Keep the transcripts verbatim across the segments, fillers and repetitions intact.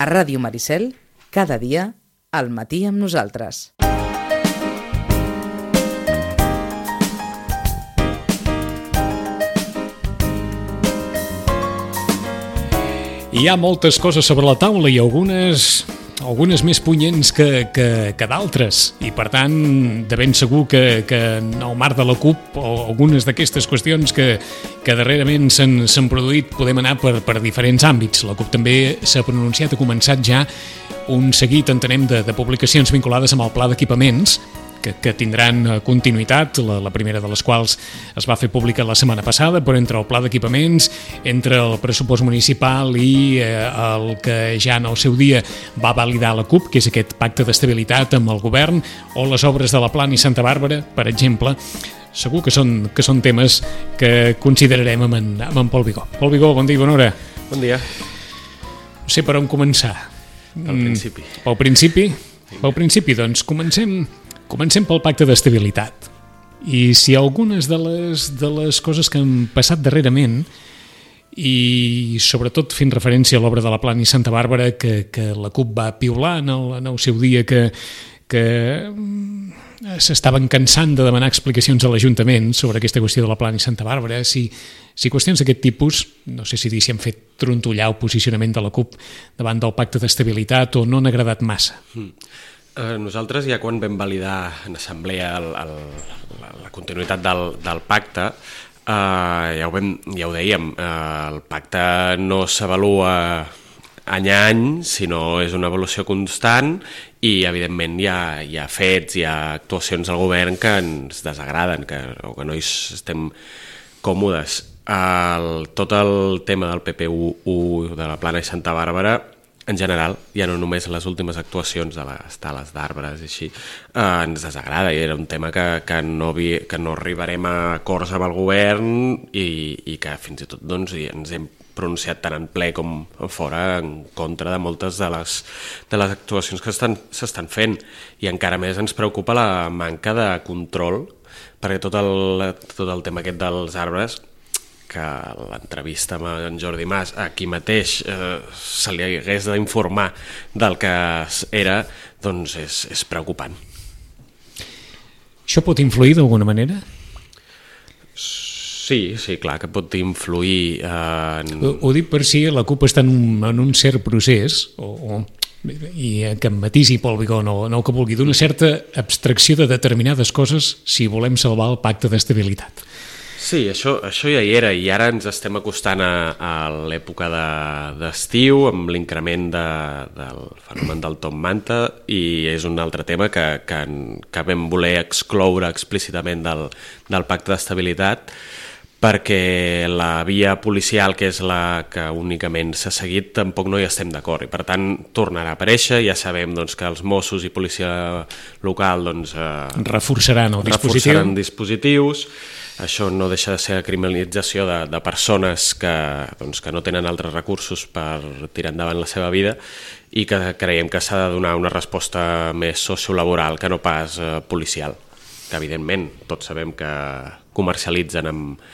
A Ràdio Maricel, cada dia, al matí amb nosaltres. Hi ha moltes coses sobre la taula i algunes, algunes més punyents que, que, que d'altres. I, per tant, de ben segur que, que en el marc de la CUP o algunes d'aquestes qüestions que, que darrerament s'han, s'han produït podem anar per, per diferents àmbits. La CUP també s'ha pronunciat, ha començat ja un seguit, entenem, de, de publicacions vinculades amb el pla d'equipaments, que, que tindran continuïtat, la, la primera de les quals es va fer pública la setmana passada, però entre el pla d'equipaments, entre el pressupost municipal i eh, el que ja en el seu dia va validar la CUP, que és aquest pacte d'estabilitat amb el govern, o les obres de la Plana i Santa Bàrbara, per exemple, segur que són, que són temes que considerarem amb en, amb en Pol Vigó. Pol Vigó, bon dia i bona hora. Bon dia. No sé per on començar. Pel principi. Mm, pel principi? Pel principi, doncs, comencem... Comencem pel pacte d'estabilitat. I si algunes de les, de les coses que han passat darrerament, i sobretot fent referència a l'obra de la Plana i Santa Bàrbara, que, que la CUP va piular en el, en el seu dia, que, que s'estaven cansant de demanar explicacions a l'Ajuntament sobre aquesta qüestió de la Plana i Santa Bàrbara, si, si qüestions d'aquest tipus, no sé si dir si han fet trontollar el posicionament de la CUP davant del pacte d'estabilitat o no han agradat massa. Mm. Eh, nosaltres ja quan vam validar en assemblea el, el, la, la continuïtat del, del pacte, eh, ja, ho vam, ja ho dèiem, eh, el pacte no s'avalua any a any, sinó és una avaluació constant i evidentment hi ha, hi ha fets, hi ha actuacions del govern que ens desagraden, que, o que no hi estem còmodes. El, tot el tema del P P U de la Plana i Santa Bàrbara, en general, ja no només les últimes actuacions de les tales d'arbres i així, eh, ens desagrada i era un tema que, que, no, vi, que no arribarem a acords amb el govern i, i que fins i tot doncs, ens hem pronunciat tant en ple com fora en contra de moltes de les, de les actuacions que s'estan fent i encara més ens preocupa la manca de control perquè tot el, tot el tema aquest dels arbres que l'entrevista amb en Jordi Mas aquí mateix eh, se li hagués d'informar del que era, doncs és, és preocupant. Això pot influir d'alguna manera? Sí, sí, clar que pot influir en... Ho, ho dic per si la CUP està en un, en un cert procés, o, o, i que em matisi Pol Vigó, no, no el que vulgui, d'una certa abstracció de determinades coses si volem salvar el pacte d'estabilitat. Sí, això, això ja hi era i ara ens estem acostant a, a l'època de, d'estiu amb l'increment de, del fenomen del top manta i és un altre tema que, que, que vam voler excloure explícitament del, del pacte d'estabilitat perquè la via policial, que és la que únicament s'ha seguit, tampoc no hi estem d'acord i per tant tornarà a aparèixer. Ja sabem doncs, que els Mossos i policia local doncs, eh, reforçaran el dispositiu. Reforçaran dispositius. Això no deixa de ser la criminalització de, de persones que, doncs, que no tenen altres recursos per tirar endavant la seva vida i que creiem que s'ha de donar una resposta més sociolaboral que no pas eh, policial. Que evidentment tots sabem que comercialitzen amb,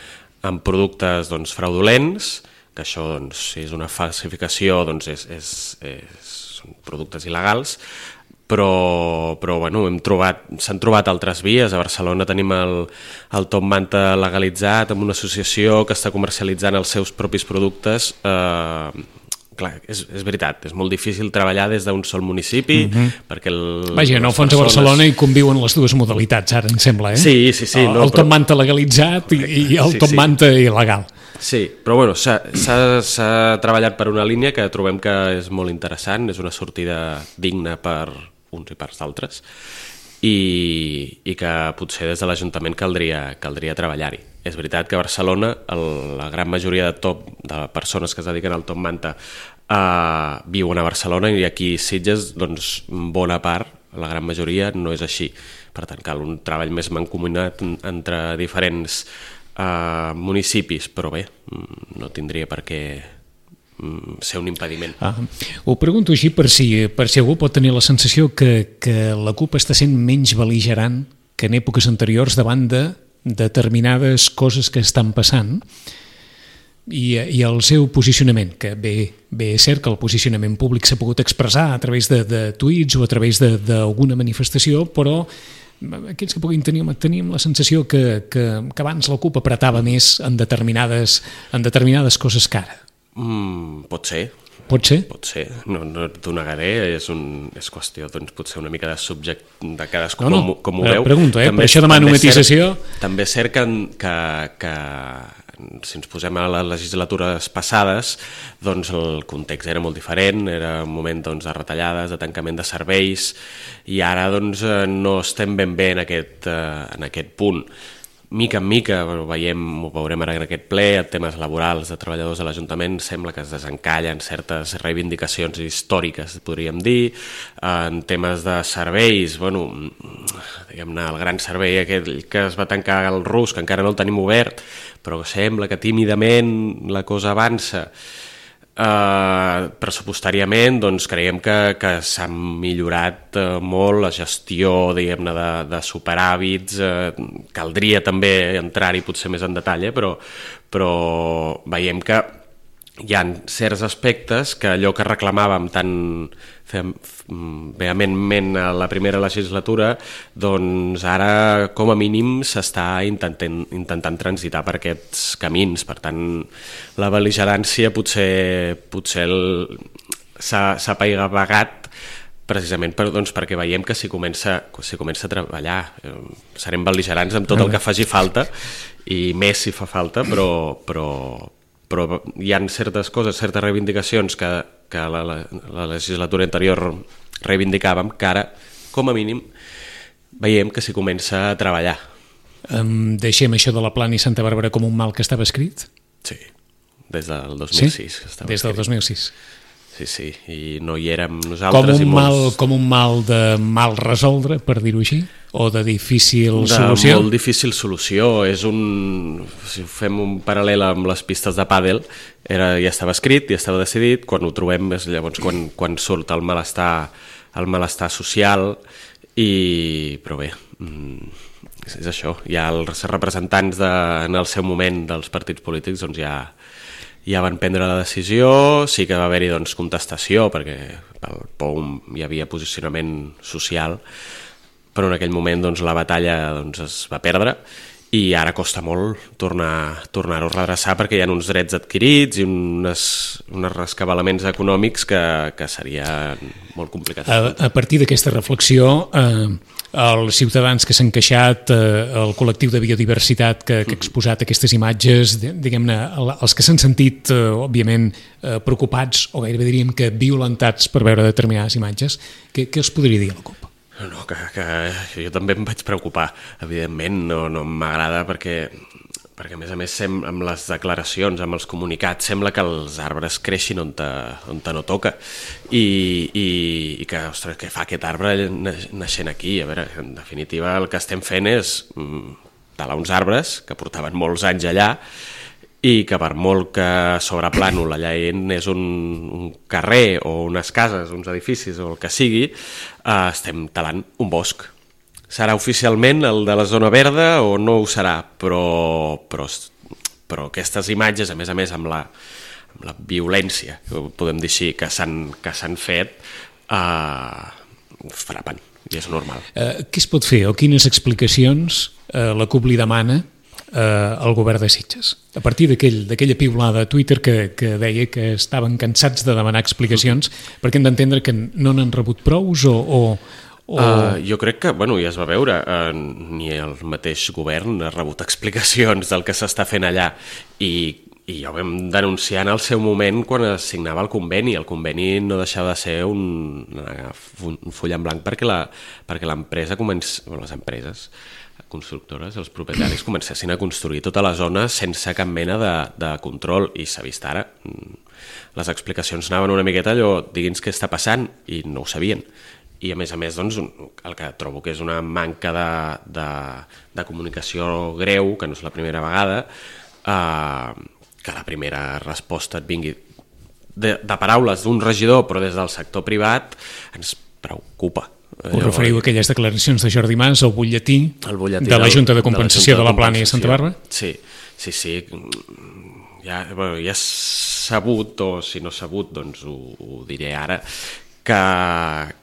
amb productes doncs, fraudulents, que això doncs, si és una falsificació doncs, és, és, és, són productes il·legals, però, però bueno, hem trobat, s'han trobat altres vies. A Barcelona tenim el, el top manta legalitzat amb una associació que està comercialitzant els seus propis productes. Eh, clar, és, és veritat, és molt difícil treballar des d'un sol municipi, mm-hmm. perquè el... Vaja, en el fons persones... a Barcelona hi conviuen les dues modalitats, ara em sembla, eh? Sí, sí, sí. El, no, el top però... manta legalitzat i, i el sí, top sí. manta il·legal. Sí, però bueno, s'ha, s'ha, s'ha treballat per una línia que trobem que és molt interessant, és una sortida digna per uns i per d'altres, i, i que potser des de l'Ajuntament caldria, caldria treballar-hi. És veritat que a Barcelona el, la gran majoria de, top, de persones que es dediquen al top manta eh, viuen a Barcelona i aquí a Sitges, doncs, bona part, la gran majoria, no és així. Per tant, cal un treball més mancomunat entre diferents eh, municipis, però bé, no tindria per què ser un impediment. Ah, ho pregunto així per si, per si algú pot tenir la sensació que, que la CUP està sent menys bel·ligerant que en èpoques anteriors davant de determinades coses que estan passant. i, i el seu posicionament, que bé, bé és cert que el posicionament públic s'ha pogut expressar a través de, de tuits o a través d'alguna manifestació, però aquells que puguin tenir, teníem la sensació que, que, que abans la CUP apretava més en determinades, en determinades coses que ara. Mm, pot ser. Pot ser? Pot ser, no, no t'ho negaré, és, un, és qüestió doncs, potser una mica de subject de cadascú no, no, com, com ho veu. Pregunto, eh? També, per això demano matisació. També és cert que, que, que si ens posem a les legislatures passades, doncs el context era molt diferent, era un moment doncs, de retallades, de tancament de serveis, i ara doncs, no estem ben bé en aquest, en aquest punt. Mica en mica, veiem, ho veurem ara en aquest ple, en temes laborals de treballadors de l'Ajuntament sembla que es desencallen certes reivindicacions històriques, podríem dir. En temes de serveis, bueno, diguem-ne, el gran servei aquell que es va tancar al Rus, que encara no el tenim obert, però sembla que tímidament la cosa avança. Uh, pressupostàriament doncs, creiem que, que s'ha millorat uh, molt la gestió diguem-ne de, de superàvits, uh, caldria també entrar-hi potser més en detall, eh? però, però veiem que hi ha certs aspectes que allò que reclamàvem tan vehementment a la primera legislatura, doncs ara com a mínim s'està intentant, intentant transitar per aquests camins. Per tant, la bel·ligerància potser, potser s'ha apaivagat precisament per, doncs, perquè veiem que si comença, si comença a treballar eh, serem bel·ligerants amb tot el que faci falta i més si fa falta, però, però, però hi ha certes coses, certes reivindicacions que, que la, la, la legislatura anterior reivindicàvem, que ara, com a mínim, veiem que s'hi comença a treballar. Um, deixem això de la Plana i Santa Bàrbara com un mal que estava escrit? Sí, des del dos mil sis. Sí? Estava des del escrit. dos mil sis. Sí, sí, i no hi érem nosaltres. Com un, i mal, molts... com un mal de mal resoldre, per dir-ho així? O de difícil de solució? De molt difícil solució. És un... Si fem un paral·lel amb les pistes de pàdel, era, ja estava escrit, ja estava decidit, quan ho trobem és llavors quan, quan surt el malestar, el malestar social, i... però bé, és, és això. Ja els representants de, en el seu moment dels partits polítics doncs ja... ja van prendre la decisió, sí que va haver-hi doncs, contestació, perquè pel P O U hi havia posicionament social, però en aquell moment doncs, la batalla doncs, es va perdre i ara costa molt tornar, tornar-ho a redreçar perquè hi ha uns drets adquirits i unes, uns rescabalaments econòmics que, que seria molt complicat. A, a partir d'aquesta reflexió, eh, els ciutadans que s'han queixat, eh, el col·lectiu de biodiversitat que, que ha exposat aquestes imatges, diguem-ne, els que s'han sentit, eh, òbviament, eh, preocupats o gairebé diríem que violentats per veure determinades imatges, què, què els podria dir a la CUP? No, que, que jo també em vaig preocupar, evidentment, no, no m'agrada perquè, perquè a més a més sem, amb les declaracions, amb els comunicats, sembla que els arbres creixin on, te, on te no toca i, i, i que, ostres, què fa aquest arbre naixent aquí? A veure, en definitiva el que estem fent és mm, talar uns arbres que portaven molts anys allà i que per molt que sobre plànol allà és un, un carrer o unes cases, uns edificis o el que sigui, eh, estem talant un bosc. Serà oficialment el de la zona verda o no ho serà, però, però, però aquestes imatges, a més a més amb la, amb la violència, podem dir així, que s'han que s'han fet, eh, frapen, i és normal. Eh, què es pot fer o quines explicacions eh, la CUP li demana al govern de Sitges, a partir d'aquella piulada a Twitter que, que deia que estaven cansats de demanar explicacions perquè han d'entendre que no n'han rebut prous o... o, o... Uh, jo crec que, bueno, ja es va veure, uh, ni el mateix govern ha rebut explicacions del que s'està fent allà i, i ja ho vam denunciar en el seu moment quan es signava el conveni. El conveni no deixava de ser un, un full en blanc perquè la, perquè l'empresa comença, bueno, les empreses constructores, els propietaris comencessin a construir tota la zona sense cap mena de, de control i s'ha vist ara. Les explicacions anaven una miqueta allò, digui'ns què està passant i no ho sabien. I a més a més doncs, el que trobo que és una manca de, de, de comunicació greu, que no és la primera vegada, eh, que la primera resposta et vingui de, de paraules d'un regidor però des del sector privat ens preocupa. Us referiu a aquelles declaracions de Jordi Mas al butlletí, butlletí de la Junta de de Compensació de la, de la Plana i Santa Bàrbara? Sí, sí, sí. ja, bueno, ja és sabut, o si no sabut, doncs ho, ho diré ara, que,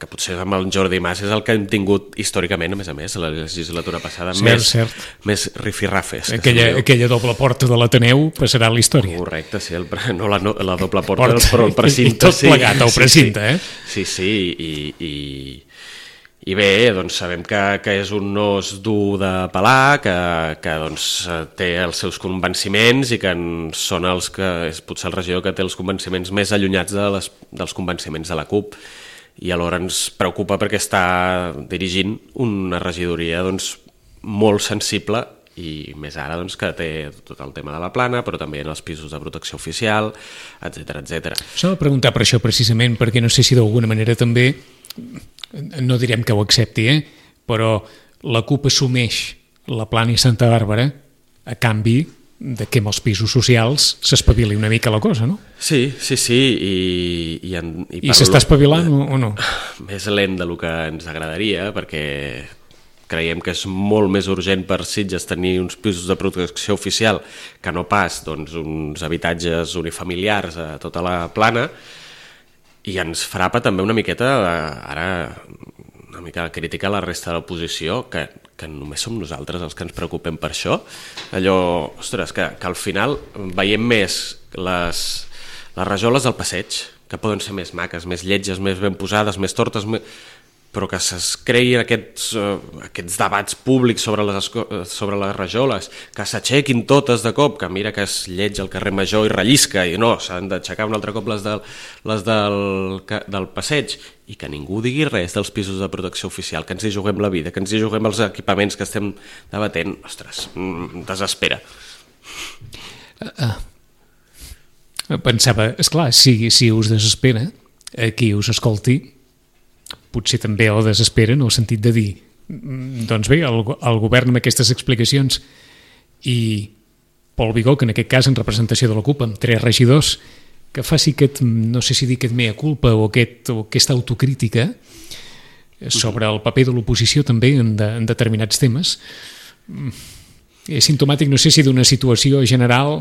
que potser amb el Jordi Mas és el que hem tingut històricament, a més a més, a la legislatura passada, cert, més, cert. més rifirrafes. Aquella, aquella doble porta de l'Ateneu passarà a la història. Correcte, sí, el, no, la, no la doble porta, porta, però el precinte. I tot plegat, el precinte, sí, eh? Sí, sí, i, i, i bé, doncs sabem que, que és un os dur de pelar, que, que doncs, té els seus convenciments i que són els que és potser el regidor que té els convenciments més allunyats de les, dels convenciments de la CUP, i alhora ens preocupa perquè està dirigint una regidoria doncs, molt sensible, i més ara doncs, que té tot el tema de la plana, però també en els pisos de protecció oficial, etcètera, etcètera. S'ha de preguntar per això precisament, perquè no sé si d'alguna manera també, no direm que ho accepti, eh? Però la CUP assumeix la plana i Santa Bàrbara a canvi de que amb els pisos socials s'espavili una mica la cosa, no? Sí, sí, sí, i... I, en, i, I s'està espavilant o, o no? Més lent del que ens agradaria, perquè creiem que és molt més urgent per Sitges tenir uns pisos de protecció oficial que no pas doncs, uns habitatges unifamiliars a tota la plana, i ens frapa també una miqueta, ara una mica criticar la resta de l'oposició, que, que només som nosaltres els que ens preocupem per això. Allò, ostres, que, que al final veiem més les, les rajoles del passeig, que poden ser més maques, més lletges, més ben posades, més tortes, més... però que es creïn aquests, uh, aquests debats públics sobre les, sobre les rajoles, que s'aixequin totes de cop, que mira que es lleig al carrer Major i rellisca, i no, s'han d'aixecar un altre cop les, del, les del, del passeig, i que ningú digui res dels pisos de protecció oficial, que ens hi juguem la vida, que ens hi juguem els equipaments que estem debatent, ostres, desespera. Uh, uh. Pensava, esclar, si, si us desespera, a qui us escolti, potser també ho desespera en el sentit de dir doncs bé, el, el govern amb aquestes explicacions i Pol Vigó, que en aquest cas en representació de la CUP amb tres regidors, que faci aquest, no sé si dir aquest mea culpa o, aquest, o aquesta autocrítica sobre el paper de l'oposició també en, de, en determinats temes, és simptomàtic, no sé si d'una situació general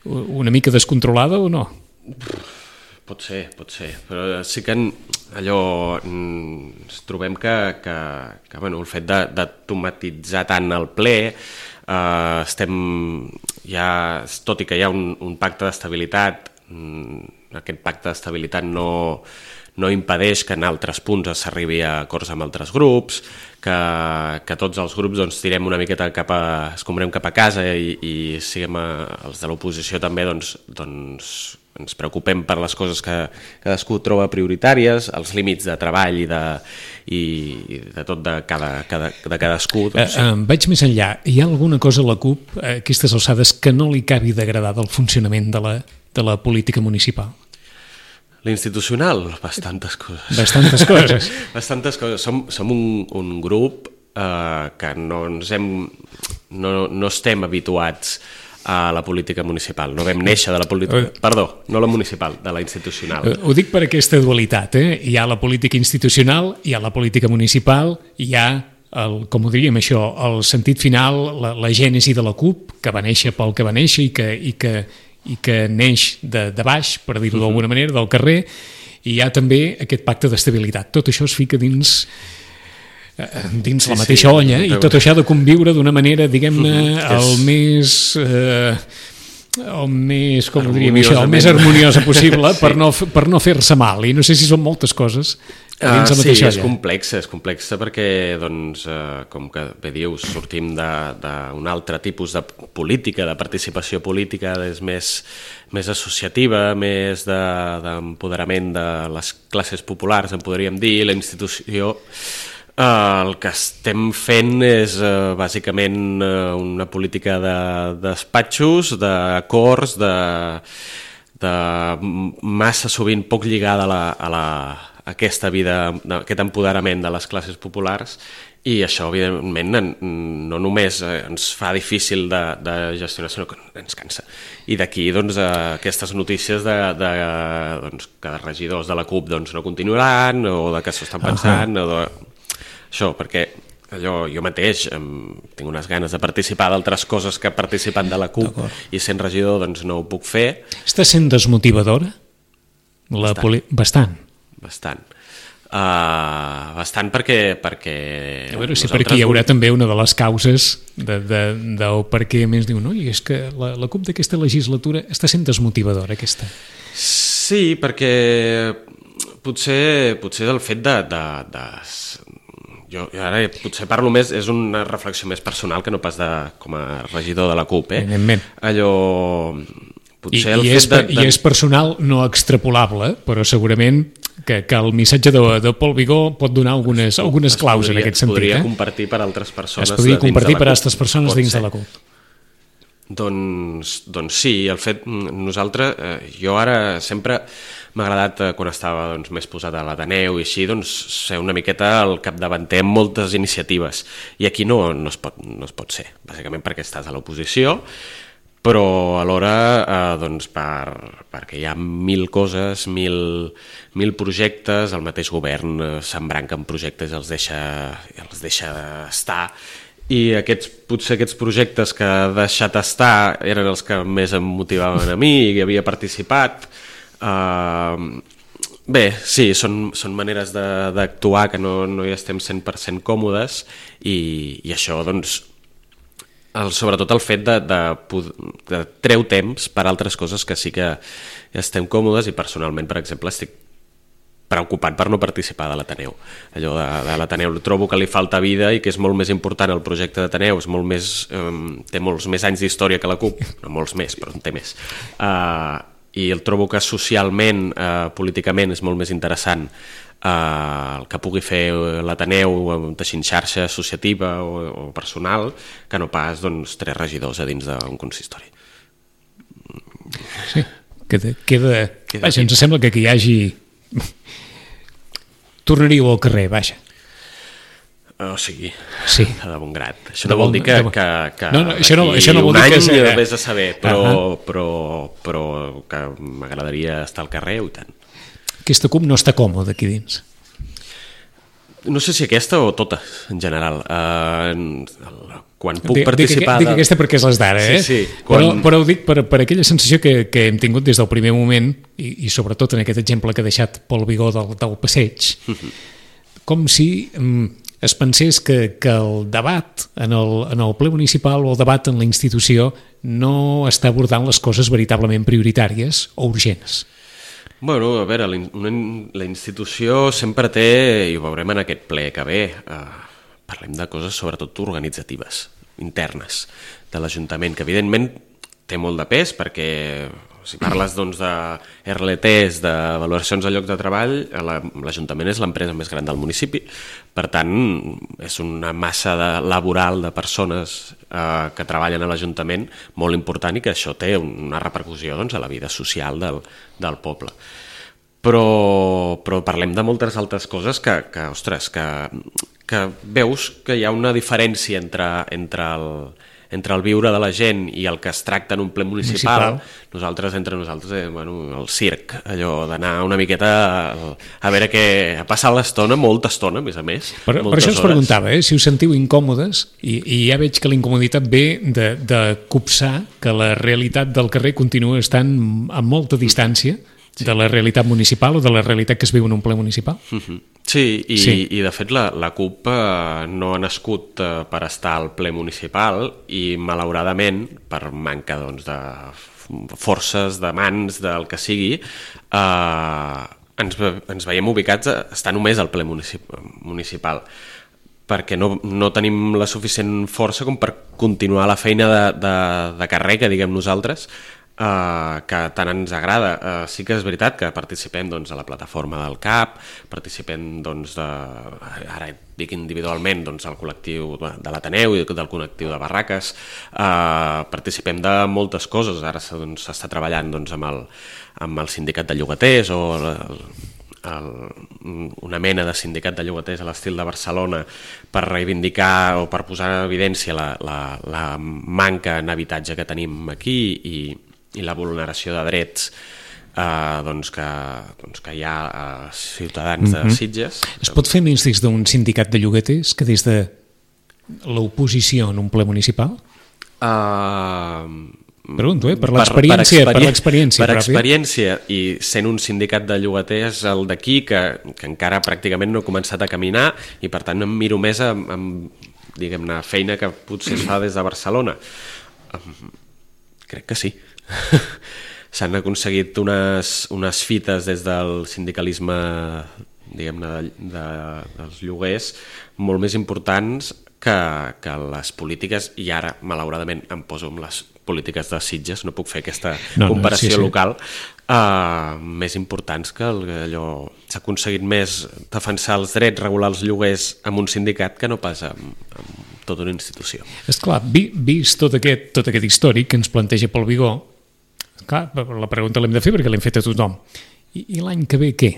una mica descontrolada o no. Pot ser, pot ser, però sí que allò ens trobem que, que, que bueno, el fet d'automatitzar tant el ple, eh, estem ja, tot i que hi ha un, un pacte d'estabilitat, aquest pacte d'estabilitat no, no impedeix que en altres punts s'arribi a acords amb altres grups, que, que tots els grups doncs, tirem una miqueta cap a, escombrem cap a casa i, i siguem a, els de l'oposició també doncs, doncs ens preocupem per les coses que cadascú troba prioritàries, els límits de treball i de, i de tot de, cada, cada, de cadascú. Doncs, sí. eh, eh, vaig més enllà. Hi ha alguna cosa a la CUP, a aquestes alçades, que no li acabi d'agradar del funcionament de la, de la política municipal? L'institucional? Bastantes coses. Bastantes coses. Bastantes coses. Som, som un, un grup eh, que no, ens hem, no, no estem habituats a la política municipal. No vam néixer de la política... Perdó, no la municipal, de la institucional. Ho dic per aquesta dualitat, eh? Hi ha la política institucional, hi ha la política municipal, hi ha, el, com ho diríem això, el sentit final, la, la gènesi de la CUP, que va néixer pel que va néixer i que, i que, i que neix de, de baix, per dir-ho d'alguna manera, del carrer, i hi ha també aquest pacte d'estabilitat. Tot això es fica dins... dins sí, la mateixa sí, olla, i tot això ha de conviure d'una manera, diguem-ne, uh-huh, el és... més eh, el més, com ho diríem això, el més harmoniosa possible sí. per, no, per no fer-se mal, i no sé si són moltes coses dins uh, la mateixa sí, olla. És complexa, és complexa perquè doncs, eh, com que bé dius, sortim d'un altre tipus de política, de participació política, és més, més associativa, més d'empoderament de, de les classes populars, en podríem dir, la institució. Uh, el que estem fent és uh, bàsicament uh, una política de despatxos, d'acords, de, de massa sovint poc lligada a, la, a, la, a aquesta vida, a aquest empoderament de les classes populars, i això evidentment no només ens fa difícil de, de gestionar, sinó que ens cansa. I d'aquí doncs, aquestes notícies de, de, doncs, que regidors de la CUP doncs, no continuaran, o de que s'ho estan pensant, uh-huh. o de... Això, perquè allò, jo mateix em, tinc unes ganes de participar d'altres coses que participant de la CUP i sent regidor doncs no ho puc fer. Està sent desmotivadora? La Bastant. poli... Bastant. Bastant. Uh, bastant perquè... perquè a veure si per aquí hi haurà també una de les causes de, de, de per què més diu, no? I és que la, la CUP d'aquesta legislatura està sent desmotivadora, aquesta. Sí, perquè potser, potser el fet de... de, de jo, jo ara potser parlo més, és una reflexió més personal que no pas de, com a regidor de la CUP, eh? Evidentment. Allò... I, i, és, de, de... I és personal no extrapolable, però segurament que, que el missatge de, de Pol Vigó pot donar algunes, algunes claus podria, en aquest sentit. Es podria eh? compartir per altres persones. Es podria compartir per altres persones pot dins ser. de la CUP. Doncs, doncs sí, el fet, nosaltres, eh, jo ara sempre m'ha agradat, eh, quan estava doncs, més posat a l'Ateneu i així, doncs, ser una miqueta al capdavanter amb moltes iniciatives. I aquí no, no, es pot, no es pot ser, bàsicament perquè estàs a l'oposició, però alhora eh, doncs per, perquè hi ha mil coses, mil, mil projectes, el mateix govern eh, s'embranca en projectes i els deixa, els deixa estar, i aquests, potser aquests projectes que ha deixat estar eren els que més em motivaven a mi i que havia participat. Uh, bé, sí, són, són maneres d'actuar que no, no hi estem cent per cent còmodes i, i això, doncs, el, sobretot el fet de, de, de treu temps per altres coses que sí que estem còmodes, i personalment, per exemple, estic preocupat per no participar de l'Ateneu. Allò de, de l'Ateneu trobo que li falta vida i que és molt més important el projecte d'Ateneu, és molt més, um, té molts més anys d'història que la CUP, no molts més, però en té més. Uh, I el trobo que socialment, uh, políticament, és molt més interessant uh, el que pugui fer l'Ateneu teixint xarxa associativa o, o personal, que no pas doncs, tres regidors a dins d'un consistori. Sí, queda... queda... queda vaja, ens sembla que aquí hi hagi... Tornaríeu al carrer, vaja. O sigui, sí. de bon grat. Això no vol dir que, que, que no, no, això no, això no vol un dir any que... vés a saber, però, uh -huh. però, però que m'agradaria estar al carrer i tant. Aquesta CUP no està còmoda aquí dins. No sé si aquesta o tota, en general. Uh, quan puc dic, participar... Dic, dic aquesta perquè és les d'ara, eh? Sí, sí. Quan... Però, però ho dic per, per aquella sensació que, que hem tingut des del primer moment, i, i sobretot en aquest exemple que ha deixat Pol Vigó del, del passeig, uh -huh. com si um, es pensés que, que el debat en el, en el ple municipal o el debat en la institució no està abordant les coses veritablement prioritàries o urgents. Bueno, a veure, la institució sempre té, i ho veurem en aquest ple que ve, eh, parlem de coses sobretot organitzatives, internes, de l'Ajuntament, que evidentment té molt de pes perquè si parles doncs, de R L Ts, de valoracions de lloc de treball, l'Ajuntament és l'empresa més gran del municipi, per tant és una massa de, laboral de persones eh, que treballen a l'Ajuntament molt important i que això té una repercussió doncs, a la vida social del, del poble. Però, però parlem de moltes altres coses que, que ostres, que, que veus que hi ha una diferència entre, entre el entre el viure de la gent i el que es tracta en un ple municipal, municipal. Nosaltres, entre nosaltres, eh, bueno, el circ, allò d'anar una miqueta a, a veure què... a passar l'estona, molta estona, a més a més. Per, per això us preguntava, eh, si us sentiu incòmodes, i, i ja veig que la incomoditat ve de, de copsar que la realitat del carrer continua estant a molta distància sí. de la realitat municipal o de la realitat que es viu en un ple municipal. Uh-huh. Sí, i, sí, i de fet la, la CUP eh, no ha nascut eh, per estar al ple municipal i malauradament, per manca doncs, de forces, de mans, del que sigui, eh, ens, ens veiem ubicats a estar només al ple municipal, perquè no, no tenim la suficient força com per continuar la feina de, de, de carrer, que diguem nosaltres, Uh, que tant ens agrada. Uh, sí que és veritat que participem doncs, a la plataforma del C A P, participem doncs, de, ara dic individualment doncs, al col·lectiu de l'Ateneu i del col·lectiu de Barraques, uh, participem de moltes coses. Ara s'està doncs, treballant doncs, amb, el, amb el sindicat de llogaters o el, el, una mena de sindicat de llogaters a l'estil de Barcelona per reivindicar o per posar en evidència la, la, la manca en habitatge que tenim aquí i i la vulneració de drets eh, doncs que, doncs que hi ha eh, ciutadans de Sitges. Es pot fer més des d'un sindicat de llogaters que des de l'oposició en un ple municipal? Uh, Pregunto, eh? Per l'experiència per, per, l'experiència per pròpia. experiència i sent un sindicat de llogaters el d'aquí que, que encara pràcticament no ha començat a caminar i per tant em miro més amb, amb diguem-ne, feina que potser es fa des de Barcelona. Um, crec que sí. S'han aconseguit unes, unes fites des del sindicalisme diguem-ne de, de, dels lloguers molt més importants que, que les polítiques, i ara malauradament em poso amb les polítiques de Sitges, no puc fer aquesta no, comparació no, sí, sí. local, uh, més importants que el, allò s'ha aconseguit més defensar els drets, regular els lloguers amb un sindicat que no pas amb, amb tota una institució. Esclar, vi, vist tot aquest, tot aquest històric que ens planteja Pol Vigó, clar, la pregunta l'hem de fer perquè l'hem fet a tothom. I, i l'any que ve què?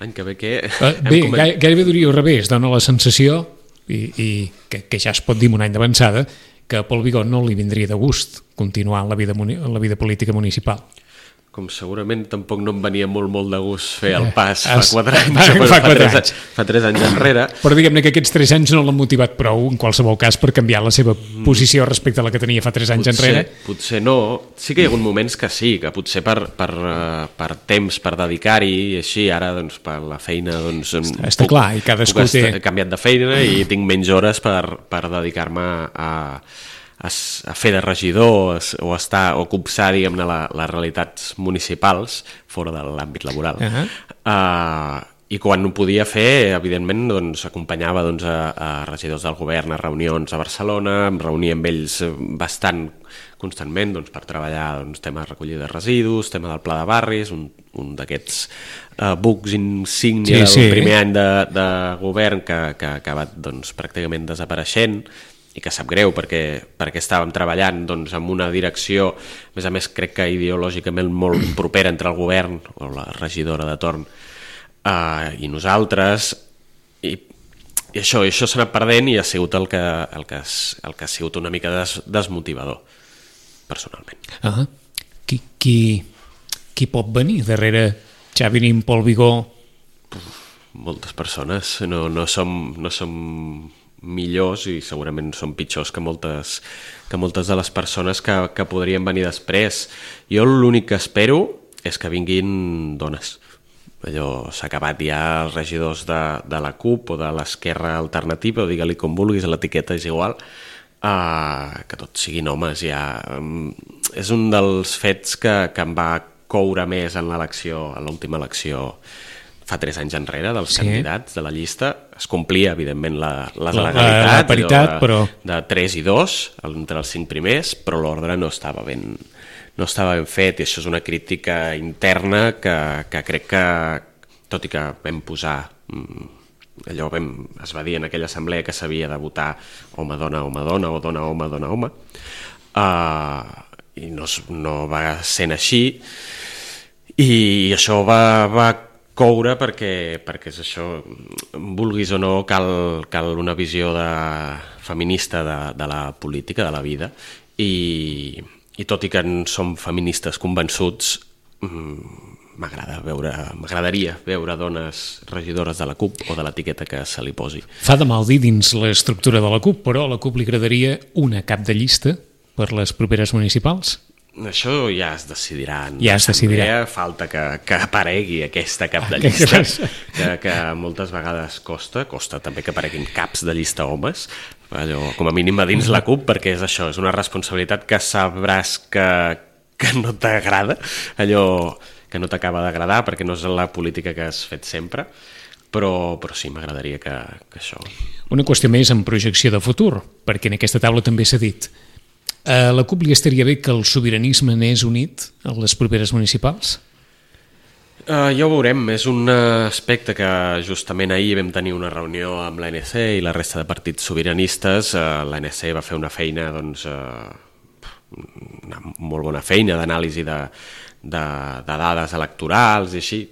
L'any que ve què? Uh, bé, coment... gairebé diria al revés, dona la sensació, i, i que, que ja es pot dir un any d'avançada, que a Pol Vigó no li vindria de gust continuar en la vida, en la vida política municipal. Com segurament tampoc no em venia molt, molt de gust fer el pas fa Has, quatre anys, fa, fa, fa, fa, tres, anys. fa tres anys enrere. Però diguem-ne que aquests tres anys no l'han motivat prou, en qualsevol cas, per canviar la seva posició respecte a la que tenia fa tres anys potser, enrere. Potser no. Sí que hi ha hagut moments que sí, que potser per, per, per temps, per dedicar-hi, i així, ara doncs, per la feina... Doncs, està està puc, clar, i cadascú té... He canviat de feina i tinc menys hores per, per dedicar-me a... a fer de regidor o estar o copsar, diguem-ne, la, les realitats municipals fora de l'àmbit laboral. Uh-huh. Uh, I quan ho podia fer, evidentment, doncs, acompanyava doncs, a, a regidors del govern a reunions a Barcelona, em reunia amb ells bastant constantment doncs, per treballar doncs, tema de recollida de residus, tema del pla de barris, un, un d'aquests uh, bucs insígnia sí, del sí. primer any de, de govern que, que ha acabat doncs, pràcticament desapareixent, i que sap greu perquè, perquè estàvem treballant doncs, en una direcció, a més a més crec que ideològicament molt propera entre el govern o la regidora de torn uh, i nosaltres, i, i això, i això s'ha anat perdent i ha sigut el que, el que, el que ha sigut una mica des, desmotivador personalment. Uh-huh. qui, qui, qui pot venir darrere Xavi Nin, Pol Vigó? Moltes persones, no, no som... No som millors i segurament són pitjors que moltes, que moltes de les persones que, que podrien venir després. Jo l'únic que espero és que vinguin dones. Allò s'ha acabat ja els regidors de, de la CUP o de l'Esquerra Alternativa, o digue-li com vulguis, l'etiqueta és igual, uh, que tots siguin homes. Ja. Um, és un dels fets que, que em va coure més en l'elecció, en l'última elecció fa tres anys enrere, dels sí. candidats de la llista. Es complia, evidentment, la, la legalitat, la, la paritat, de, però... de tres i dos, entre els cinc primers, però l'ordre no estava ben, no estava ben fet, i això és una crítica interna que, que crec que, tot i que vam posar, allò vam, es va dir en aquella assemblea que s'havia de votar home-dona, home-dona, o dona-home, dona-home, uh, i no, no va sent així, i això va... va coure perquè, perquè és això, vulguis o no, cal, cal una visió de, feminista de, de la política, de la vida, i, i tot i que en som feministes convençuts, m'agrada veure, m'agradaria veure dones regidores de la CUP o de l'etiqueta que se li posi. Fa de mal dir dins l'estructura de la CUP, però a la CUP li agradaria una cap de llista per les properes municipals? Això ja es decidirà en ja es decidirà. Falta que, que aparegui aquesta cap de llista, que, que moltes vegades costa, costa també que apareguin caps de llista homes, allò, com a mínim a dins la CUP, perquè és això, és una responsabilitat que sabràs que, que no t'agrada, allò que no t'acaba d'agradar, perquè no és la política que has fet sempre, però, però sí, m'agradaria que, que això... Una qüestió més en projecció de futur, perquè en aquesta taula també s'ha dit. A la CUP li estaria bé que el sobiranisme anés unit a les properes municipals? Uh, ja ho veurem. És un aspecte que justament ahir vam tenir una reunió amb l'A N C i la resta de partits sobiranistes. Uh, L'A N C va fer una feina, doncs, uh, una molt bona feina d'anàlisi de, de, de dades electorals i així,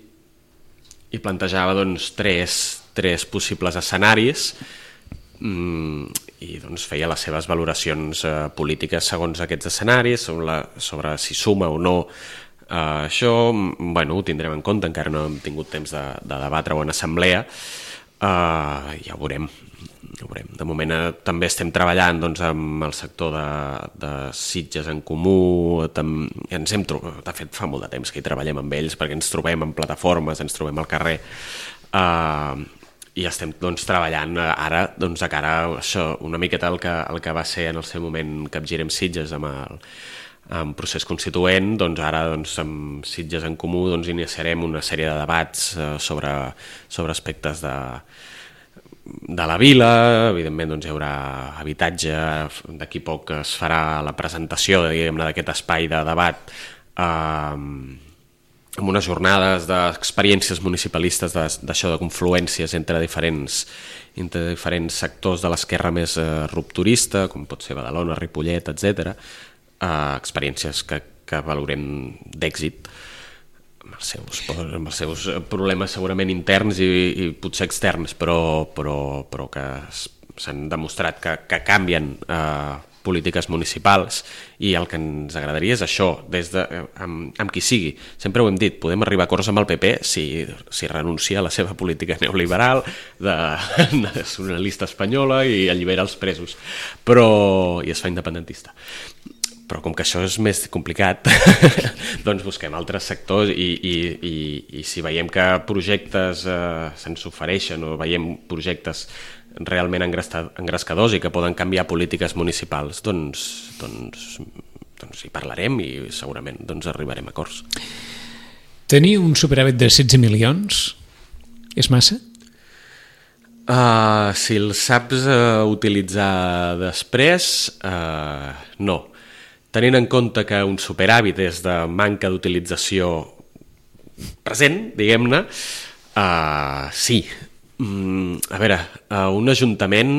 i plantejava doncs, tres, tres possibles escenaris, mm, i doncs, feia les seves valoracions eh, polítiques segons aquests escenaris, sobre, la, sobre si suma o no eh, això. Bueno, ho tindrem en compte, encara no hem tingut temps de, de debatre-ho en assemblea, eh, ja ho veurem. ho veurem. De moment eh, també estem treballant doncs, amb el sector de, de Sitges en Comú, tam, ens hem trobat, de fet fa molt de temps que hi treballem amb ells perquè ens trobem en plataformes, ens trobem al carrer, eh, i estem doncs, treballant ara doncs, de cara a això, una miqueta el que, el que va ser en el seu moment Capgirem Sitges amb el en procés constituent, doncs ara doncs, amb Sitges en Comú doncs, iniciarem una sèrie de debats eh, sobre, sobre aspectes de, de la vila. Evidentment doncs, hi haurà habitatge, d'aquí poc es farà la presentació d'aquest espai de debat eh, amb unes jornades d'experiències municipalistes d'això de confluències entre diferents, entre diferents sectors de l'esquerra més eh, rupturista, com pot ser Badalona, Ripollet, etcètera. Uh, experiències que, que valorem d'èxit amb els, seus, amb els seus problemes segurament interns i, i potser externs, però, però, però que s'han demostrat que, que canvien uh, polítiques municipals, i el que ens agradaria és això, des de, amb, amb qui sigui. Sempre ho hem dit, podem arribar a acords amb el P P si, si renuncia a la seva política neoliberal de nacionalista espanyola i allibera els presos, però, i es fa independentista. Però com que això és més complicat, doncs busquem altres sectors i, i, i, i si veiem que projectes eh, se'ns ofereixen o veiem projectes realment engrescadors i que poden canviar polítiques municipals, doncs, doncs, doncs hi parlarem i segurament doncs, arribarem a acords. Tenir un superàvit de setze milions és massa? Uh, si el saps uh, utilitzar després, uh, no. Tenint en compte que un superàvit és de manca d'utilització present, diguem-ne, uh, sí. Mm, a veure, uh, un ajuntament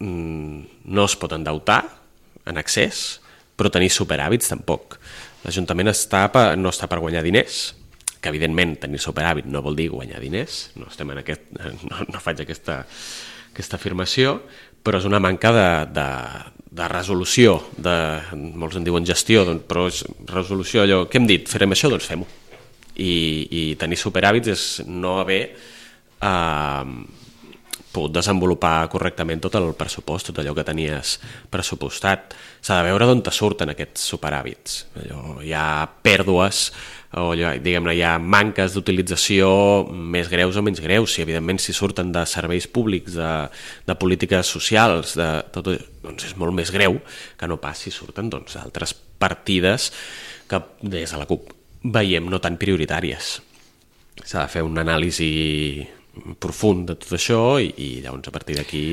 mm, no es pot endeutar en excés, però tenir superàvits tampoc. L'Ajuntament està per, no està per guanyar diners, que evidentment tenir superàvit no vol dir guanyar diners, no, estem en aquest, no, no faig aquesta, aquesta afirmació, però és una manca de... de de resolució, de, molts en diuen gestió, doncs, però és resolució allò, què hem dit? Farem això? Doncs fem-ho. I, i tenir superàvits és no haver eh, pogut desenvolupar correctament tot el pressupost, tot allò que tenies pressupostat. S'ha de veure d'on te surten aquests superàvits. Allò, hi ha pèrdues, o diguem-ne, hi ha manques d'utilització més greus o menys greus, si evidentment si surten de serveis públics, de, de polítiques socials, de tot, doncs és molt més greu que no pas si surten doncs, altres partides que des de la CUP veiem no tan prioritàries. S'ha de fer un anàlisi profund de tot això i, i llavors a partir d'aquí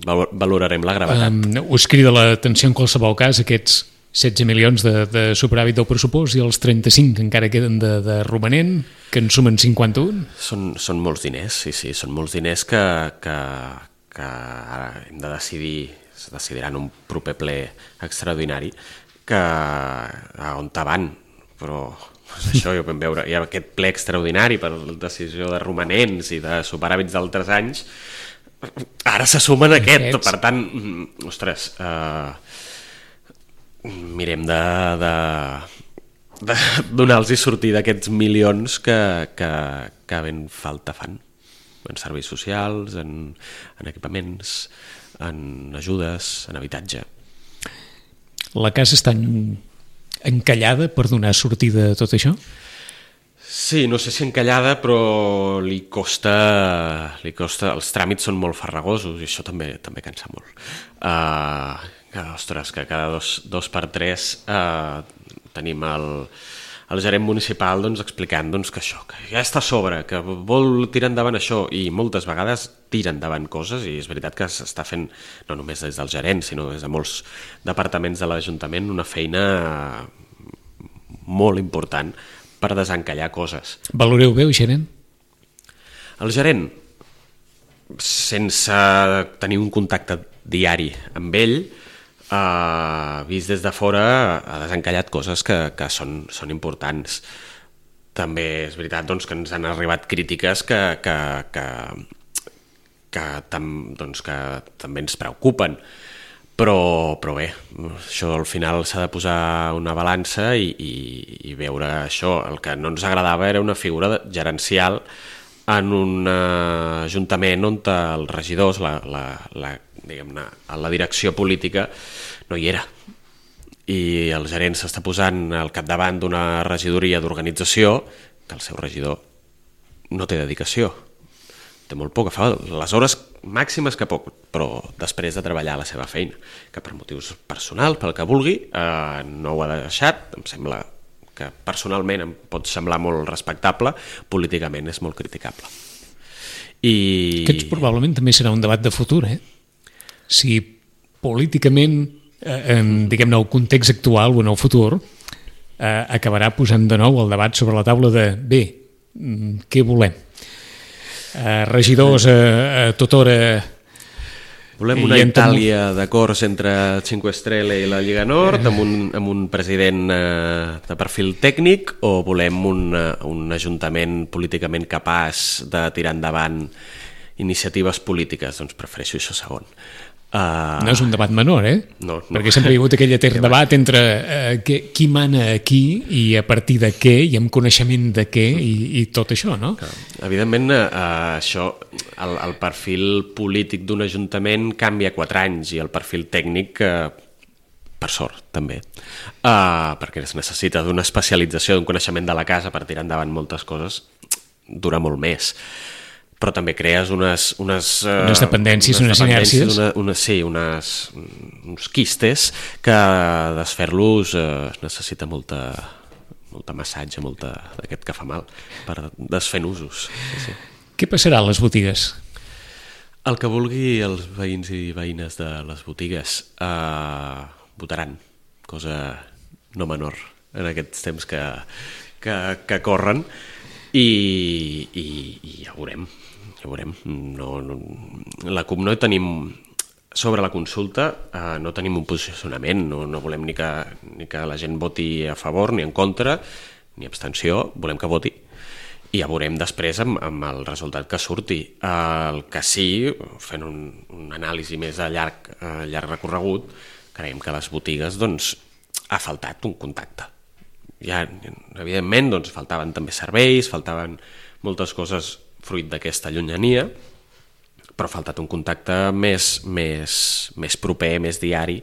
valorarem la gravetat. Um, us crida l'atenció en qualsevol cas aquests setze milions de, de superàvit del pressupost i els trenta-cinc que encara queden de, de romanent, que en sumen cinquanta-un? Són, són molts diners, sí, sí, són molts diners que, que, que ara hem de decidir, es decidirà en un proper ple extraordinari, que a on van, però doncs això ja ho vam veure, hi ha aquest ple extraordinari per la decisió de romanents i de superàvits d'altres anys, ara se sumen aquest, Aquests. Per tant, ostres, eh, mirem de, de, de donar-los sortir d'aquests milions que, que, que ben falta fan en serveis socials, en, en equipaments, en ajudes, en habitatge. La casa està encallada per donar sortida a tot això? Sí, no sé si encallada, però li costa, li costa, els tràmits són molt farragosos i això també també cansa molt. Uh, que, ostres, que cada dos, dos per tres uh, tenim el, el gerent municipal doncs, explicant doncs, que això, que ja està a sobre, que vol tirar endavant això, i moltes vegades tira endavant coses, i és veritat que s'està fent, no només des del gerent, sinó des de molts departaments de l'Ajuntament, una feina molt important per desencallar coses. Valoreu bé el gerent? El gerent, sense tenir un contacte diari amb ell, eh, vist des de fora, ha desencallat coses que, que són, són importants. També és veritat doncs, que ens han arribat crítiques que, que, que, que, tam, doncs, que també ens preocupen. Però, però bé, això al final s'ha de posar una balança i, i, i veure això. El que no ens agradava era una figura gerencial en un uh, ajuntament on els regidors, la, la, la, diguem-ne, la direcció política no hi era. I el gerent s'està posant al capdavant d'una regidoria d'organització que el seu regidor no té dedicació, té molt poc, fa les hores màximes que pot, però després de treballar la seva feina, que per motius personals, pel que vulgui, eh, no ho ha deixat. Em sembla que personalment em pot semblar molt respectable, políticament és molt criticable. I... Aquest probablement també serà un debat de futur, eh? Si políticament, eh, en, diguem-ne, el context actual o en el futur, eh, acabarà posant de nou el debat sobre la taula de bé, què volem? Uh, regidors a, a tota hora. Volem una Itàlia d'acords entre Cinque Stelle i la Lliga Nord, amb un, amb un president uh, de perfil tècnic, o volem un, uh, un ajuntament políticament capaç de tirar endavant iniciatives polítiques? Doncs prefereixo això segon. Uh... No és un debat menor, eh? No, no. Perquè sempre hi ha hagut aquell etern debat entre uh, que, qui mana aquí i a partir de què i amb coneixement de què i, i tot això, no? Clar. Evidentment, uh, això, el, el perfil polític d'un ajuntament canvia quatre anys i el perfil tècnic, uh, per sort, també. Uh, perquè es necessita d'una especialització, d'un coneixement de la casa per tirar endavant moltes coses, dura molt més. Però també crees unes... Unes, uh, unes dependències, unes, unes inèrcies. Una, una, sí, unes, uns quistes que desfer-los uh, necessita molta, molta massatge, molta d'aquest que fa mal, per desfer nusos. Sí, sí. Què passarà a les botigues? El que vulgui els veïns i veïnes de les botigues uh, votaran, cosa no menor en aquests temps que, que, que corren, i, i, i ja ho veurem. Ja ho veurem. No, no, la C U P no tenim, sobre la consulta, eh, no tenim un posicionament, no, no volem ni que, ni que la gent voti a favor ni en contra, ni abstenció, volem que voti. I ja veurem després amb, amb el resultat que surti. El que sí, fent un, un anàlisi més a llarg, a llarg recorregut, creiem que a les botigues doncs, ha faltat un contacte. Ja, evidentment, doncs, faltaven també serveis, faltaven moltes coses fruit d'aquesta llunyania, però ha faltat un contacte més, més, més proper, més diari,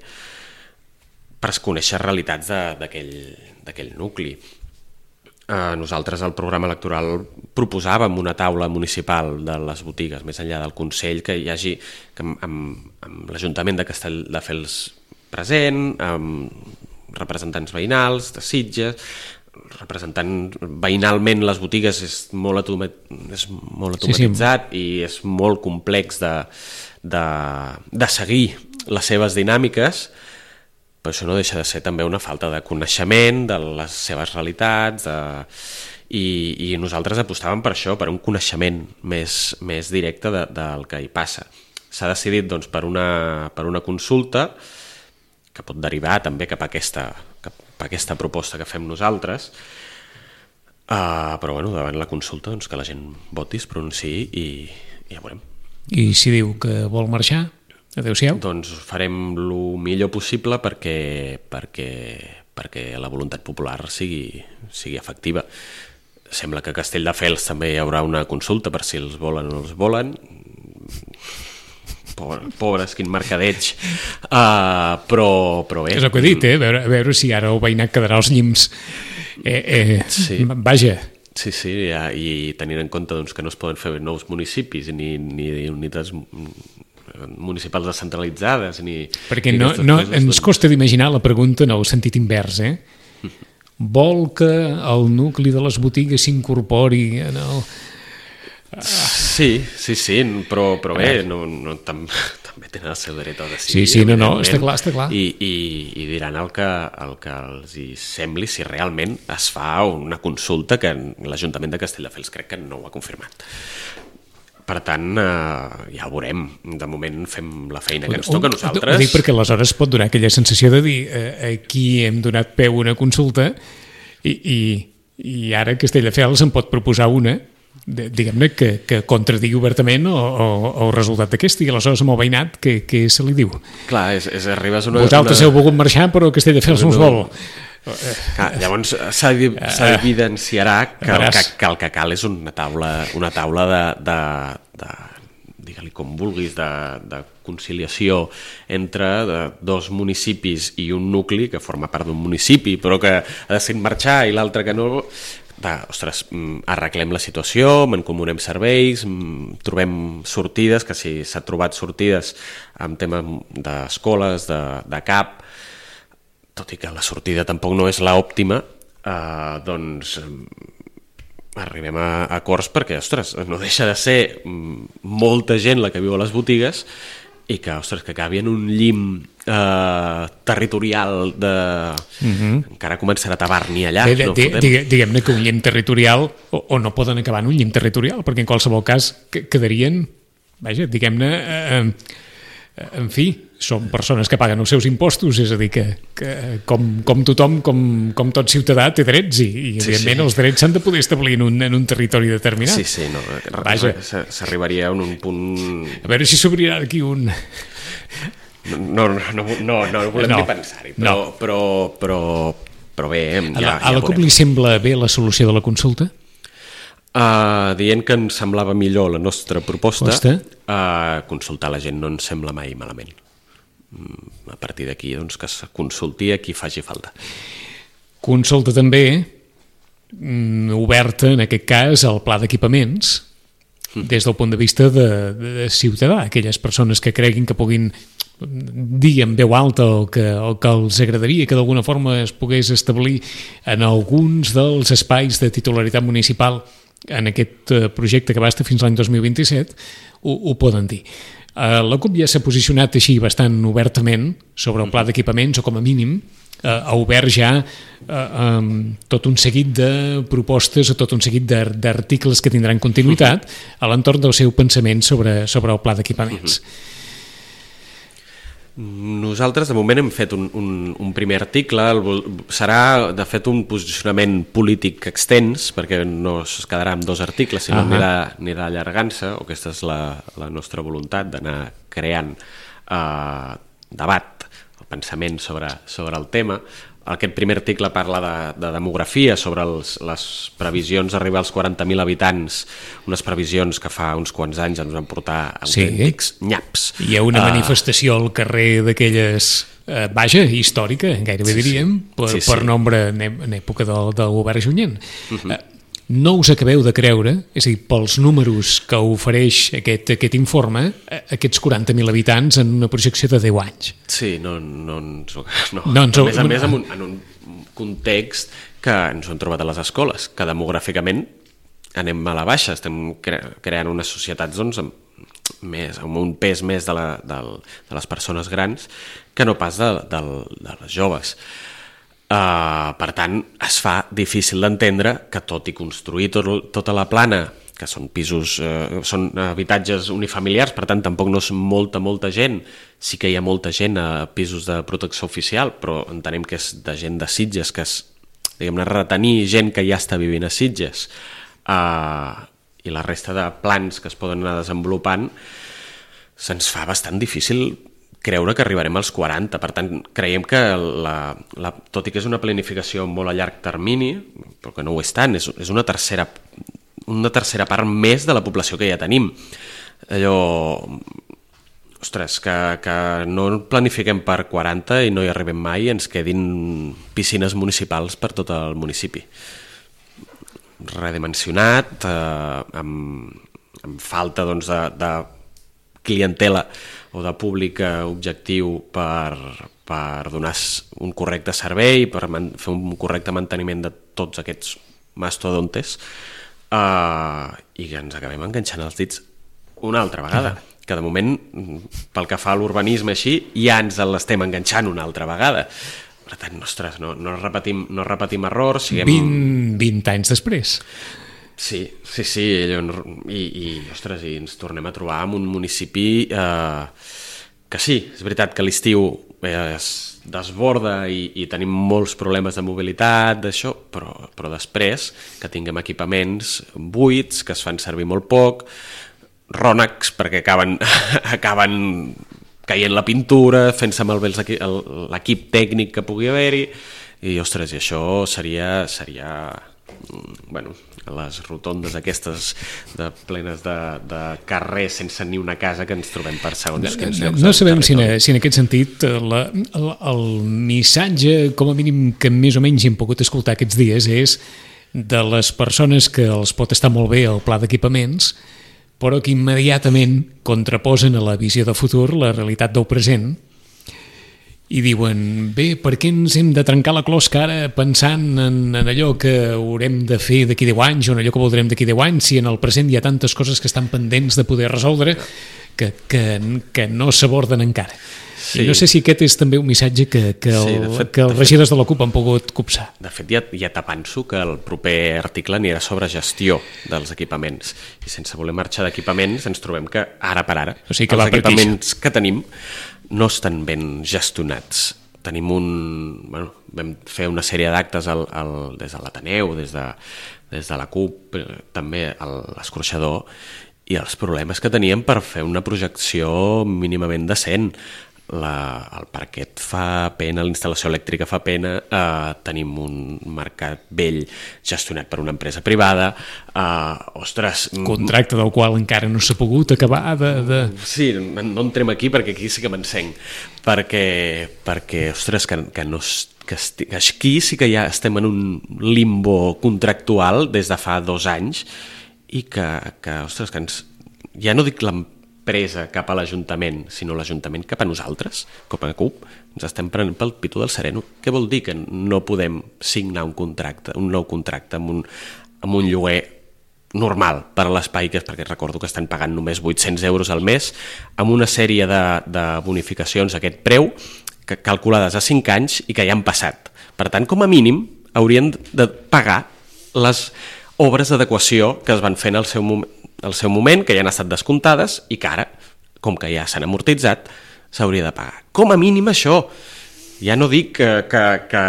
per conèixer realitats d'aquell nucli. Eh, nosaltres al programa electoral proposàvem una taula municipal de les botigues, més enllà del Consell, que hi hagi que amb, amb l'Ajuntament de Castelldefels present, amb representants veïnals, de Sitges, representant veïnalment les botigues és molt, automat, és molt automatitzat, sí, sí. I és molt complex de, de, de seguir les seves dinàmiques, però això no deixa de ser també una falta de coneixement de les seves realitats, de, i, i nosaltres apostàvem per això, per un coneixement més, més directe de, del que hi passa. S'ha decidit doncs, per, una, per una consulta que pot derivar també cap a aquesta, cap a aquesta proposta que fem nosaltres, uh, però bueno, davant la consulta doncs, que la gent voti, es pronunciï i, i ja veurem. I si diu que vol marxar, adéu-siau? Doncs farem el millor possible perquè, perquè, perquè la voluntat popular sigui, sigui efectiva. Sembla que a Castelldefels també hi haurà una consulta per si els volen o no els volen. Pobres, quin mercadeig, uh, però, però bé. És el que he dit, eh? A veure, a veure si ara el veïnat quedarà als llims. Eh, eh, sí. Vaja. Sí, sí, ja, i tenint en compte doncs, que no es poden fer nous municipis ni, ni unitats municipals descentralitzades ni... Perquè no, no, ens costa d'imaginar la pregunta en el sentit invers, eh? Vol que el nucli de les botigues s'incorpori en el... Sí, sí, sí, però, però bé, no, no, tam, també tenen el seu dret a decidir. Sí, sí, no, no, està clar, està clar. I, i, i diran el que, el que els hi sembli si realment es fa una consulta que l'Ajuntament de Castelldefels crec que no ho ha confirmat. Per tant, eh, ja ho veurem. De moment fem la feina que ens toca a nosaltres. Ho dic perquè aleshores pot donar aquella sensació de dir eh, aquí hem donat peu a una consulta i, i, i ara Castelldefels en pot proposar una diguem-ne, que, que contradigui obertament o, o, o el resultat d'aquest, i aleshores amb el veïnat, què, què se li diu? Clar, és, és arribes una... Vosaltres una... heu volgut marxar, però Castelldefels no us vol. Clar, llavors s'evidenciarà que, que, que el que cal és una taula, una taula de, de, de digue-li com vulguis, de, de conciliació entre de, dos municipis i un nucli que forma part d'un municipi però que ha decidit marxar i l'altre que no. De, ostres, arreglem la situació, mancomunem serveis, trobem sortides, que si s'ha trobat sortides en temes d'escoles, de, de C A P, tot i que la sortida tampoc no és l'òptima, eh, doncs arribem a acords perquè, ostres, no deixa de ser molta gent la que viu a les botigues i que, ostres, que acabi en un llim eh, territorial de... Uh-huh. Encara començarà a tabar-n'hi allà. De, de, no digue, Diguem-ne que un llim territorial o, o no poden acabar en un llim territorial, perquè en qualsevol cas quedarien, vaja, diguem-ne, eh, en fi, són persones que paguen els seus impostos, és a dir, que, que com, com tothom, com, com tot ciutadà, té drets i, i sí, evidentment, sí. Els drets s'han de poder establir en un, en un territori determinat. Sí, sí, no, s'arribaria a un punt... A veure si s'obrirà aquí un... No, no, no, no, no volem no, ni pensar-hi, però, no. però, però, però bé... Ja, a la, ja a la C U P li sembla bé la solució de la consulta? Uh, dient que ens semblava millor la nostra proposta, uh, consultar la gent no ens sembla mai malament. A partir d'aquí, doncs, que es consulti a qui faci falta. Consulta també mm, oberta, en aquest cas, al pla d'equipaments, mm. des del punt de vista de, de ciutadà, aquelles persones que creguin que puguin dir en veu alta el que, el que els agradaria que d'alguna forma es pogués establir en alguns dels espais de titularitat municipal en aquest projecte que va estar fins l'any dos mil vint-i-set, ho, ho poden dir. La C U P ja s'ha posicionat així bastant obertament sobre el pla d'equipaments, o com a mínim ha obert ja um, tot un seguit de propostes o tot un seguit d'articles que tindran continuïtat a l'entorn del seu pensament sobre, sobre el pla d'equipaments. Nosaltres de moment hem fet un, un, un primer article, serà de fet un posicionament polític extens perquè no es quedarà amb dos articles sinó uh-huh. anirà, anirà allargant-se, o aquesta és la, la nostra voluntat d'anar creant eh, debat o pensament sobre, sobre el tema. Aquest primer article parla de, de demografia, sobre els, les previsions d'arribar als quaranta mil habitants, unes previsions que fa uns quants anys ens van portar autèntics sí. nyaps. Hi ha una uh, manifestació al carrer d'aquelles, uh, vaja, històrica, gairebé sí, diríem, per, sí, sí. per nombre en, en època del, del govern Junyent. Uh-huh. Uh, no us acabeu de creure, és a dir, pels números que ofereix aquest, aquest informe, aquests quaranta mil habitants en una projecció de deu anys. Sí, no, no, no, no. no ens ho, a més a més en un, en un context que ens ho hem trobat a les escoles, que demogràficament anem a la baixa, estem cre creant unes societats doncs, amb, més, amb un pes més de, la, de, de les persones grans que no pas de, de, de les joves. Uh, per tant, es fa difícil d'entendre que tot i construir tot, tota la plana, que són pisos, uh, són habitatges unifamiliars, per tant tampoc no és molta, molta gent, sí que hi ha molta gent a pisos de protecció oficial, però entenem que és de gent de Sitges, que és, diguem-ne, retenir gent que ja està vivint a Sitges, uh, i la resta de plans que es poden anar desenvolupant, se'ns fa bastant difícil creure que arribarem als quaranta, per tant creiem que la, la, tot i que és una planificació molt a llarg termini, però que no ho és tant, és, és una tercera una tercera part més de la població que ja tenim. Allò, ostres, que, que no planifiquem per quaranta i no hi arribem mai i ens quedin piscines municipals per tot el municipi. Redimensionat, eh, amb, amb falta doncs, de, de clientela o de públic objectiu per, per donar un correcte servei, per fer un correcte manteniment de tots aquests mastodontes, uh, i que ens acabem enganxant els dits una altra vegada, que de moment, pel que fa a l'urbanisme així, ja ens l'estem enganxant una altra vegada. Per tant, ostres, no, no, repetim, no repetim errors. Siguem... vint, vint anys després. Sí, sí, sí, i, i, ostres, i ens tornem a trobar en un municipi eh, que sí, és veritat que l'estiu es desborda i, i tenim molts problemes de mobilitat, d'això, però, però després que tinguem equipaments buits, que es fan servir molt poc, rònecs perquè acaben, acaben caient la pintura, fent-se malbé l'equip tècnic que pugui haver-hi, i ostres, i això seria, seria bueno, les rotondes aquestes de, plenes de, de carrers sense ni una casa que ens trobem per segons quins llocs. No sabem si en, si en aquest sentit la, el, el missatge, com a mínim que més o menys hem pogut escoltar aquests dies, és de les persones que els pot estar molt bé el pla d'equipaments, però que immediatament contraposen a la visió de futur la realitat del present i diuen, bé, per què ens hem de trencar la closca ara pensant en, en allò que haurem de fer d'aquí deu anys o en allò que voldrem d'aquí deu anys si en el present hi ha tantes coses que estan pendents de poder resoldre que, que, que no s'aborden encara. Sí. I no sé si aquest és també un missatge que, que, el, sí, fet, que els regidors de la CUP han pogut copsar. De fet, ja, ja t'avanço que el proper article anirà sobre gestió dels equipaments. I sense voler marxar d'equipaments ens trobem que ara per ara o sigui que els equipaments que tenim no estan ben gestionats. Tenim un... Bueno, vam fer una sèrie d'actes al, al, des de l'Ateneu, des de, des de la CUP, també a l'Escorxador, i els problemes que teníem per fer una projecció mínimament decent. La, el parquet fa pena, l'instal·lació elèctrica fa pena, eh, tenim un mercat vell gestionat per una empresa privada, eh, ostres... Contracte del qual encara no s'ha pogut acabar de... de... Sí, no entrem aquí perquè aquí sí que m'encenc, perquè, perquè ostres, que, que, no, que, esti, que aquí sí que ja estem en un limbo contractual des de fa dos anys i que, que ostres, que ens... Ja no dic l'empresa presa cap a l'Ajuntament, sinó l'Ajuntament cap a nosaltres, com a CUP, ens estem prenent pel pitu del sereno. Què vol dir que no podem signar un contracte, un nou contracte amb un, amb un lloguer normal per a l'espai, que és perquè recordo que estan pagant només vuit-cents euros al mes, amb una sèrie de, de bonificacions a aquest preu, que, calculades a cinc anys i que ja han passat. Per tant, com a mínim, haurien de pagar les obres d'adequació que es van fer en el seu moment, el seu moment, que ja han estat descomptades i que ara, com que ja s'han amortitzat, s'hauria de pagar. Com a mínim això. Ja no dic que, que, que...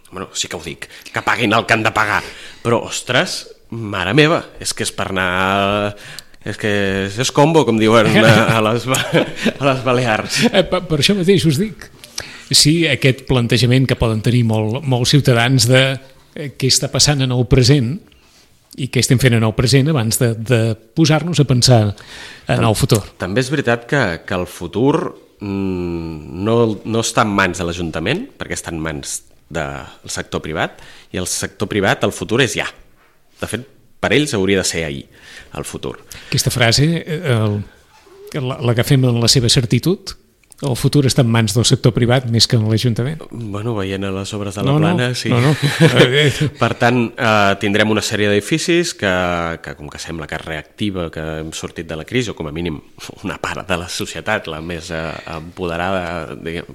Bueno, sí que ho dic, que paguin el que han de pagar. Però, ostres, mare meva, és que és per anar... És que és combo, com diuen a les, a les Balears. Per, per això mateix us dic. Sí, aquest plantejament que poden tenir molt, molts ciutadans de què està passant en el present i què estem fent en el present abans de, de posar-nos a pensar en el futur. També és veritat que, que el futur no, no està en mans de l'Ajuntament, perquè està en mans del sector privat, i el sector privat, el futur és ja. De fet, per ells hauria de ser ahir, el futur. Aquesta frase, el, la, la que fem en la seva certitud, el futur està en mans del sector privat més que en l'Ajuntament. Bueno, veient a les obres de la no, Plana, no, sí. No, no. Per tant, eh, tindrem una sèrie d'edificis que, que, com que sembla que és reactiva, que hem sortit de la crisi, o com a mínim una part de la societat, la més eh, empoderada, diguem,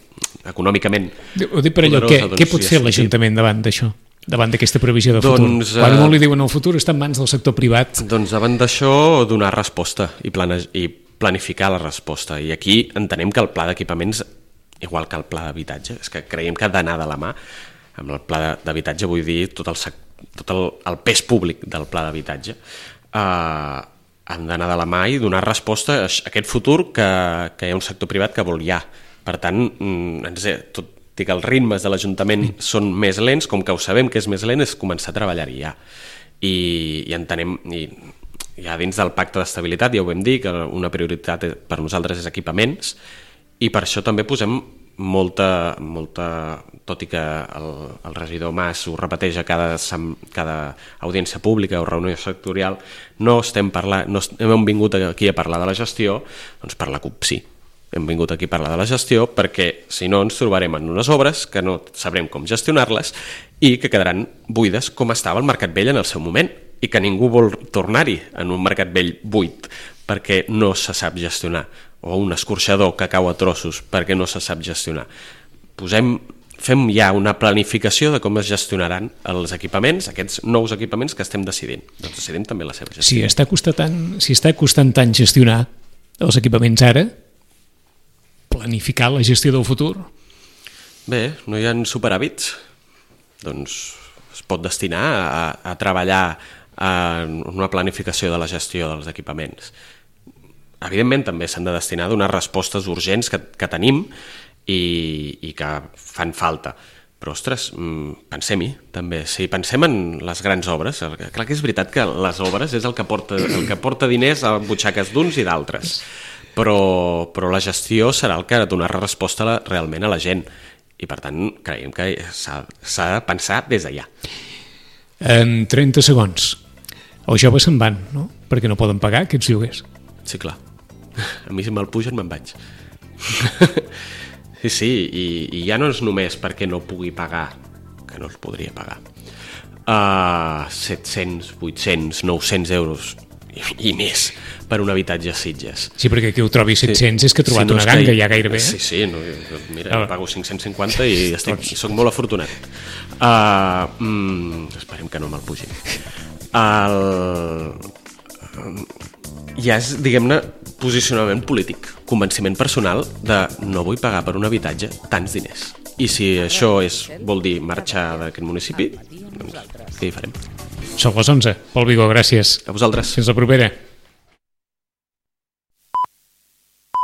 econòmicament. Ho dic per allò, què, doncs, què pot fer l'Ajuntament davant d'això? Davant d'aquesta previsió de futur? Doncs, Quan molt li diuen el futur està en mans del sector privat. Doncs davant d'això donar resposta i, plane- i planificar la resposta. I aquí entenem que el pla d'equipaments, igual que el pla d'habitatge, és que creiem que ha d'anar de la mà. Amb el pla d'habitatge vull dir tot el, tot el, el pes públic del pla d'habitatge. Eh, han d'anar de la mà i donar resposta a aquest futur que, que hi ha un sector privat que vol ja. Per tant, ens, tot i que els ritmes de l'Ajuntament són més lents, com que ho sabem que és més lent, és començar a treballar-hi ja. I, i entenem... I, ja dins del pacte d'estabilitat ja ho vam dir, que una prioritat per nosaltres és equipaments, i per això també posem molta, molta tot i que el, el regidor Mas ho repeteix a cada, cada audiència pública o reunió sectorial, no estem parlant, no hem vingut aquí a parlar de la gestió, doncs per la CUP sí. Hem vingut aquí a parlar de la gestió perquè si no ens trobarem en unes obres que no sabrem com gestionar-les i que quedaran buides com estava el Mercat Vell en el seu moment, i que ningú vol tornar-hi en un mercat vell buit perquè no se sap gestionar, o un escorxador que cau a trossos perquè no se sap gestionar. Posem, fem ja una planificació de com es gestionaran els equipaments, aquests nous equipaments que estem decidint. Doncs decidim també la seva gestió. Si està costant, si està costant tant gestionar els equipaments ara, planificar la gestió del futur? Bé, no hi ha superàvits? Doncs es pot destinar a, a treballar en una planificació de la gestió dels equipaments. Evidentment també s'han de destinar a donar respostes urgents que, que tenim i, i que fan falta, Però, ostres, pensem-hi, també. Si pensem en les grans obres, clar que és veritat que les obres és el que porta, el que porta diners a butxaques d'uns i d'altres, però, però la gestió serà el que donarà resposta a la, realment a la gent. I, per tant, creiem que s'ha de pensar des d'allà. En trenta segons. Els joves se'n van, no? Perquè no poden pagar aquests lloguers. Sí, clar. A mi si me'l pugen me'n vaig. Sí, sí, i, i ja no és només perquè no pugui pagar, que no els podria pagar, uh, set-cents, vuit-cents, nou-cents euros i, i més per un habitatge a Sitges. Sí, perquè qui ho trobi set-cents sí. És que ha trobat sí, no una ganga que... ja gairebé. Sí, sí, no, mira, ah. jo pago cinc-cents cinquanta i estic, soc molt afortunat. Uh, mm, esperem que no me'l pugin. El... Ja és, diguem-ne, posicionament polític, convenciment personal de no vull pagar per un habitatge tants diners. I si això és, vol dir marxar d'aquest municipi, doncs què hi farem? Són les onze. Pol Vigó, gràcies. A vosaltres. Fins la propera.